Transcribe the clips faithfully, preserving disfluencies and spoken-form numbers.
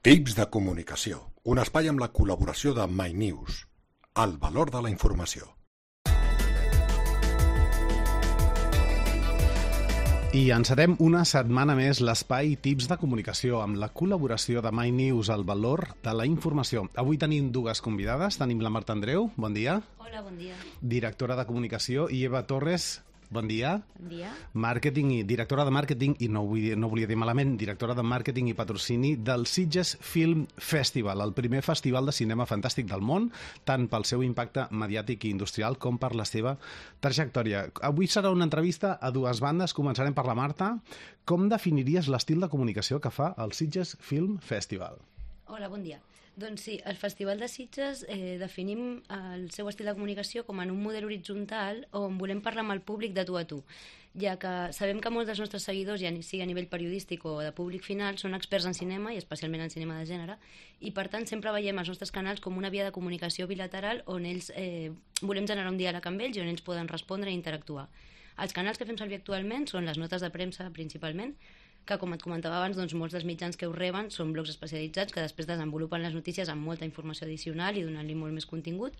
Tips de comunicació, un espai amb la col·laboració de MyNews, el valor de la informació. I encetem una setmana més l'espai Tips de comunicació amb la col·laboració de MyNews, el valor de la informació. Avui tenim dues convidades, tenim la Marta Andreu, bon dia. Hola, bon dia. Directora de comunicació, i Eva Torres, bon dia. Bon dia. Màrqueting i directora de màrqueting, i no, vull dir, no volia dir malament, directora de màrqueting i patrocini del Sitges Film Festival, el primer festival de cinema fantàstic del món, tant pel seu impacte mediàtic i industrial com per la seva trajectòria. Avui serà una entrevista a dues bandes. Començarem per la Marta. Com definiries l'estil de comunicació que fa el Sitges Film Festival? Hola, bon dia. Doncs sí, el Festival de Sitges eh, definim el seu estil de comunicació com en un model horitzontal on volem parlar amb el públic de tu a tu, ja que sabem que molts dels nostres seguidors, ja sigui a nivell periodístic o de públic final, són experts en cinema i especialment en cinema de gènere, i per tant sempre veiem els nostres canals com una via de comunicació bilateral on ells eh, volem generar un diàleg amb ells i on ells poden respondre i interactuar. Els canals que fem servir actualment són les notes de premsa principalment, que, com et comentava abans, doncs, molts dels mitjans que ho reben són blogs especialitzats que després desenvolupen les notícies amb molta informació addicional i donant-li molt més contingut.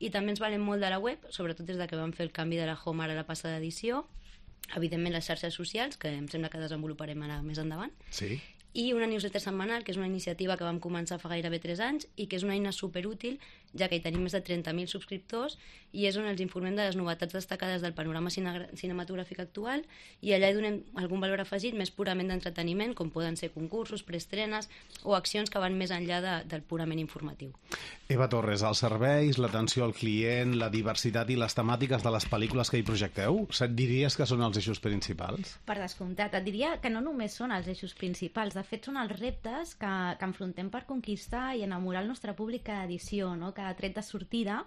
I també ens valem molt de la web, sobretot des de que vam fer el canvi de la home ara a la passada edició. Evidentment, les xarxes socials, que em sembla que desenvoluparem ara més endavant. Sí. I una newsletter setmanal, que és una iniciativa que vam començar fa gairebé tres anys i que és una eina superútil, ja que hi tenim més de trenta mil subscriptors i és on els informem de les novetats destacades del panorama cine cinematogràfic actual, i allà hi donem algun valor afegit més purament d'entreteniment, com poden ser concursos, preestrenes o accions que van més enllà de, del purament informatiu. Eva Torres, els serveis, l'atenció al client, la diversitat i les temàtiques de les pel·lícules que hi projecteu, diries que són els eixos principals? Per descomptat, et diria que no només són els eixos principals. De fet, són els reptes que, que enfrontem per conquistar i enamorar el nostre públic cada edició, no? Cada tret de sortida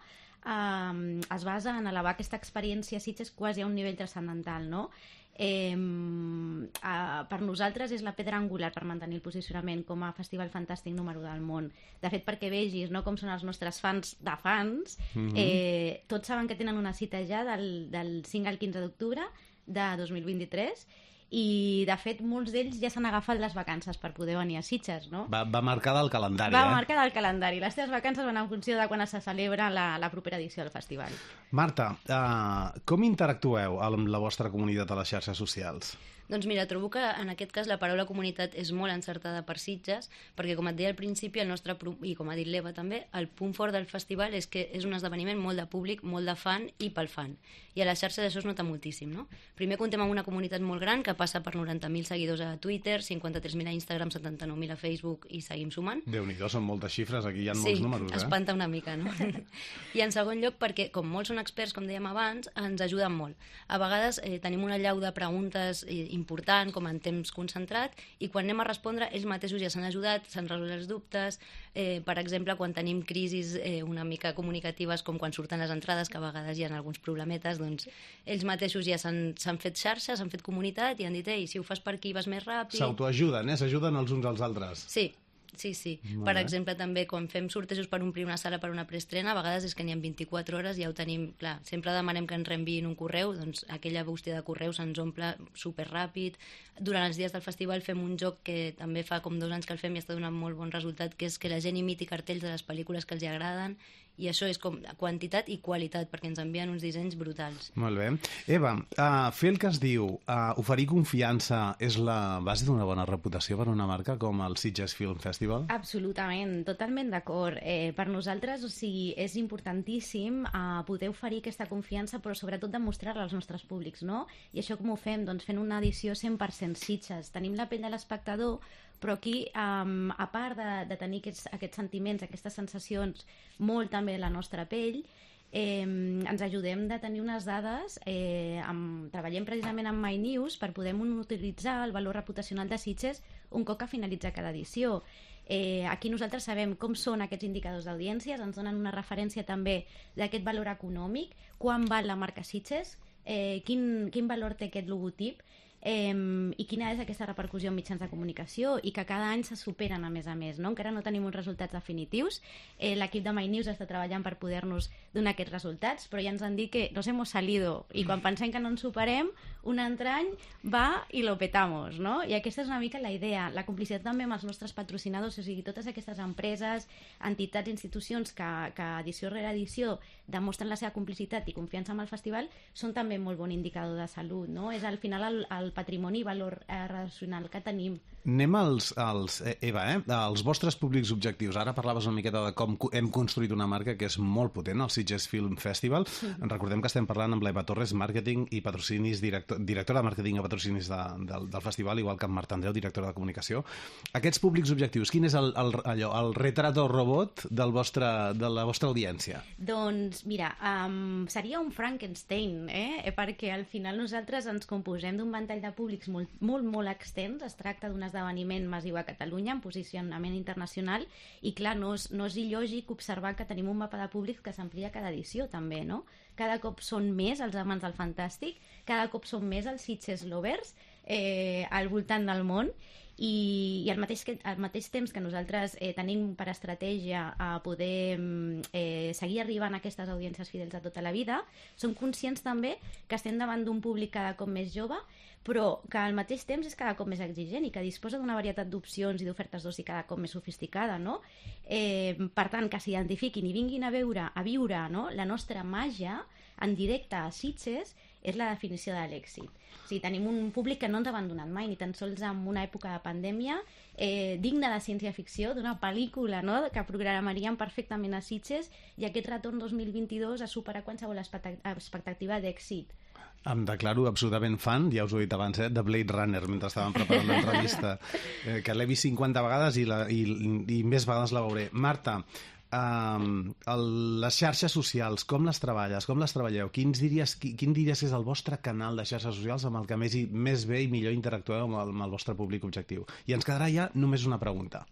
eh, es basa en elevar aquesta experiència Sitges quasi a un nivell transcendental, no? Eh, eh, per nosaltres és la pedra angular per mantenir el posicionament com a festival fantàstic número del món. De fet, perquè vegis, no, com són els nostres fans de fans, mm-hmm. eh, tots saben que tenen una cita ja del, del cinc al quinze d'octubre de dos mil vint-i-tres, i de fet molts d'ells ja s'han agafat les vacances per poder venir a Sitges, no? Va, va marcar del calendari, va eh? Va marcar del calendari. Les teves vacances van en funció de quan se celebra la, la propera edició del festival. Marta, uh, com interactueu amb la vostra comunitat a les xarxes socials? Doncs mira, trobo que en aquest cas la paraula comunitat és molt encertada per Sitges, perquè com et deia al principi, el nostre, i com ha dit l'Eva també, el punt fort del festival és que és un esdeveniment molt de públic, molt de fan i pel fan. I a les xarxes això es nota moltíssim, no? Primer comptem amb una comunitat molt gran que passa per noranta mil seguidors a Twitter, cinquanta-tres mil a Instagram, setanta-nou mil a Facebook i seguim sumant. Déu-n'hi-do, són moltes xifres, aquí hi ha sí, molts números, eh? Sí, espanta una mica, no? I en segon lloc, perquè com molts són experts, com dèiem abans, ens ajuden molt. A vegades eh, tenim una llau de preguntes eh, important, com en temps concentrat, i quan anem a respondre ells mateixos ja s'han ajudat, s'han resolt els dubtes. Eh, per exemple, quan tenim crisis eh, una mica comunicatives, com quan surten les entrades, que a vegades hi ha alguns problemetes, doncs ells mateixos ja s'han fet xarxes, s'han fet comunitat i han dit, ei, si ho fas per aquí vas més ràpid. S'autoajuden, eh? S'ajuden els uns als altres. Sí. Sí, sí. Molt per bé. exemple, també quan fem sortejos per omplir una sala per una preestrena, a vegades és que n'hi ha vint-i-quatre hores i ja ho tenim, clar, sempre demanem que ens reenviïn un correu, doncs aquella bústia de correu se'ns omple superràpid. Durant els dies del festival fem un joc que també fa com dos anys que el fem i està donant molt bon resultat, que és que la gent imiti cartells de les pel·lícules que els agraden, i això és com quantitat i qualitat, perquè ens envien uns dissenys brutals. Molt bé. Eva, uh, fer el que es diu, uh, oferir confiança és la base d'una bona reputació per una marca com el Sitges Film Festival? Absolutament, totalment d'acord. Eh, per nosaltres, o sigui, és importantíssim uh, poder oferir aquesta confiança, però sobretot demostrar-la als nostres públics, no? I això com ho fem? Doncs fent una edició cent per cent Sitges. Tenim la pell de l'espectador, però aquí, um, a part de, de tenir aquests, aquests sentiments, aquestes sensacions, molt també de la nostra pell, eh, ens ajudem de tenir unes dades, eh, amb, treballem precisament amb MyNews per poder utilitzar el valor reputacional de Sitges un cop que finalitza cada edició. Eh, aquí nosaltres sabem com són aquests indicadors d'audiències, ens donen una referència també d'aquest valor econòmic, quan val la marca Sitges, eh, quin, quin valor té aquest logotip. eh, i quina és aquesta repercussió en mitjans de comunicació, i que cada any se superen a més a més, no? Encara no tenim uns resultats definitius, eh, l'equip de MyNews està treballant per poder-nos donar aquests resultats, però ja ens han dit que nos hemos salido, i quan pensem que no ens superem, un altre any va i lo petamos, no? I aquesta és una mica la idea, la complicitat també amb els nostres patrocinadors, o sigui, totes aquestes empreses, entitats, institucions que, que edició rere edició demostren la seva complicitat i confiança amb el festival, són també molt bon indicador de salut, no? És al final el, el patrimoni i valor eh, relacional que tenim. Anem als, als, Eva, eh? als vostres públics objectius. Ara parlaves una miqueta de com hem construït una marca que és molt potent, el Sitges Film Festival. Sí. Recordem que estem parlant amb l'Eva Torres, màrqueting i patrocinis, director, directora de màrqueting i patrocinis de, del, del festival, igual que amb Marta Andreu, directora de comunicació. Aquests públics objectius, quin és el, el, allò, el retrato robot del vostre, de la vostra audiència? Doncs, mira, um, seria un Frankenstein, eh? perquè al final nosaltres ens composem d'un ventall de públics molt, molt, molt extens. Es tracta d'un esdeveniment massiu a Catalunya en posicionament internacional i clar, no és, no és il·lògic observar que tenim un mapa de públics que s'amplia cada edició també, no? Cada cop són més els amants del fantàstic, cada cop són més els Sitges lovers eh, al voltant del món, i, i al, mateix que, al mateix temps que nosaltres eh, tenim per estratègia a poder eh, seguir arribant a aquestes audiències fidels de tota la vida, som conscients també que estem davant d'un públic cada cop més jove, però que al mateix temps és cada cop més exigent i que disposa d'una varietat d'opcions i d'ofertes d'oci cada cop més sofisticada, no? Eh, per tant, que s'identifiquin i vinguin a veure, a viure, no? La nostra màgia en directe a Sitges és la definició de l'èxit. O sigui, tenim un públic que no ens ha abandonat mai, ni tan sols en una època de pandèmia, eh, digna de ciència-ficció, d'una pel·lícula, no?, que programaríem perfectament a Sitges, i aquest retorn dos mil vint-i-dos ha superat qualsevol expectativa d'èxit. Em declaro absolutament fan, ja us ho he dit abans, eh, de Blade Runner, mentre estàvem preparant l'entrevista, eh, que l'he vist cinquanta vegades i, la, i, i més vegades la veuré. Marta, Um, el, les xarxes socials, com les treballes, com les treballeu? Quins diries, qui, quin diries que és el vostre canal de xarxes socials amb el que més, i, més bé i millor interactueu amb el, amb el vostre públic objectiu? I ens quedarà ja només una pregunta.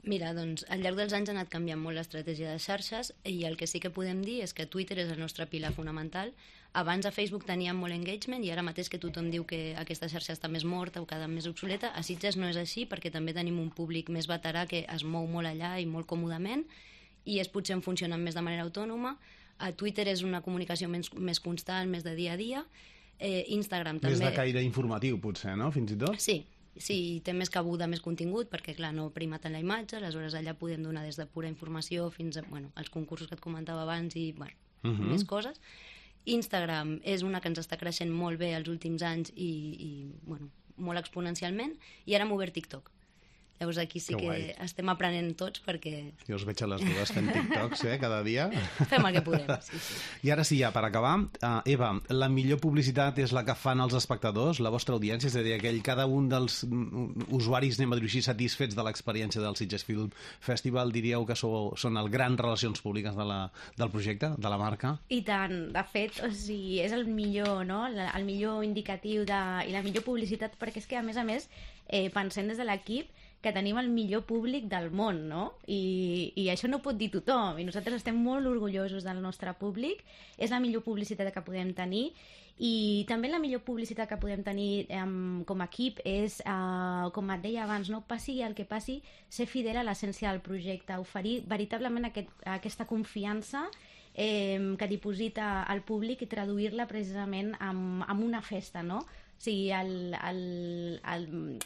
Mira, doncs, al llarg dels anys ha anat canviant molt l'estratègia de xarxes i el que sí que podem dir és que Twitter és el nostre pilar fonamental. Abans a Facebook teníem molt engagement i ara mateix que tothom diu que aquesta xarxa està més morta o cada més obsoleta, a Sitges no és així perquè també tenim un públic més veterà que es mou molt allà i molt còmodament, i és potser en funcionen més de manera autònoma. A Twitter és una comunicació més, més constant, més de dia a dia. Eh, Instagram també... Més de caire informatiu, potser, no? Fins i tot? Sí, sí, té més cabuda, més contingut, perquè, clar, no prima tant la imatge, aleshores allà podem donar des de pura informació fins a, bueno, als concursos que et comentava abans i, bueno, uh-huh. més coses. Instagram és una que ens està creixent molt bé els últims anys i, i bueno, molt exponencialment, i ara hem obert TikTok. Llavors aquí sí que, que estem aprenent tots perquè... Jo us veig a les dues fent TikToks, eh, cada dia. Fem el que podem, sí, sí. I ara sí, ja, per acabar, uh, Eva, la millor publicitat és la que fan els espectadors, la vostra audiència, és a dir, aquell, cada un dels usuaris, anem a dir així, satisfets de l'experiència del Sitges Film Festival, diríeu que sou, són el gran relacions públiques de la, del projecte, de la marca? I tant, de fet, o sigui, és el millor, no?, el millor indicatiu de, i la millor publicitat, perquè és que, a més a més, eh, pensem des de l'equip que tenim el millor públic del món, no? I, i això no pot dir tothom, i nosaltres estem molt orgullosos del nostre públic, és la millor publicitat que podem tenir, i també la millor publicitat que podem tenir um, com a equip és, uh, com et deia abans, no passi el que passi, ser fidel a l'essència del projecte, oferir veritablement aquest, aquesta confiança eh, que diposita al públic i traduir-la precisament en, en una festa, no? O sigui, el, el, el,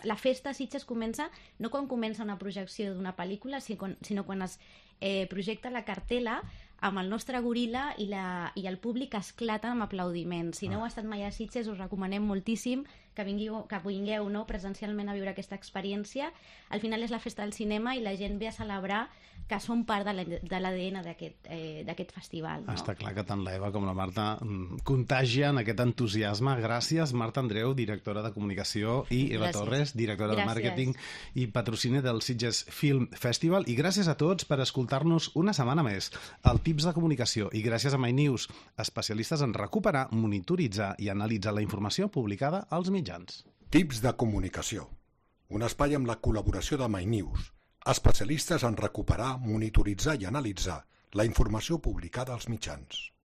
la festa a Sitges comença no quan comença una projecció d'una pel·lícula, sinó quan, sinó quan es eh, projecta la cartela amb el nostre goril·la i, la, i el públic esclata amb aplaudiments. Si no heu estat mai a Sitges, us recomanem moltíssim que vingueu, que vingueu no, presencialment a viure aquesta experiència. Al final és la festa del cinema i la gent ve a celebrar que són part de l'A D N d'aquest eh, festival. No? Està clar que tant l'Eva com la Marta contagien aquest entusiasme. Gràcies, Marta Andreu, directora de comunicació, i Eva gràcies. Torres, directora gràcies. de màrqueting i patrocini del Sitges Film Festival. I gràcies a tots per escoltar-nos una setmana més al Tips de Comunicació. I gràcies a MyNews, especialistes en recuperar, monitoritzar i analitzar la informació publicada als mitjans. Tips de Comunicació. Un espai amb la col·laboració de MyNews, especialistes en recuperar, monitoritzar i analitzar la informació publicada als mitjans.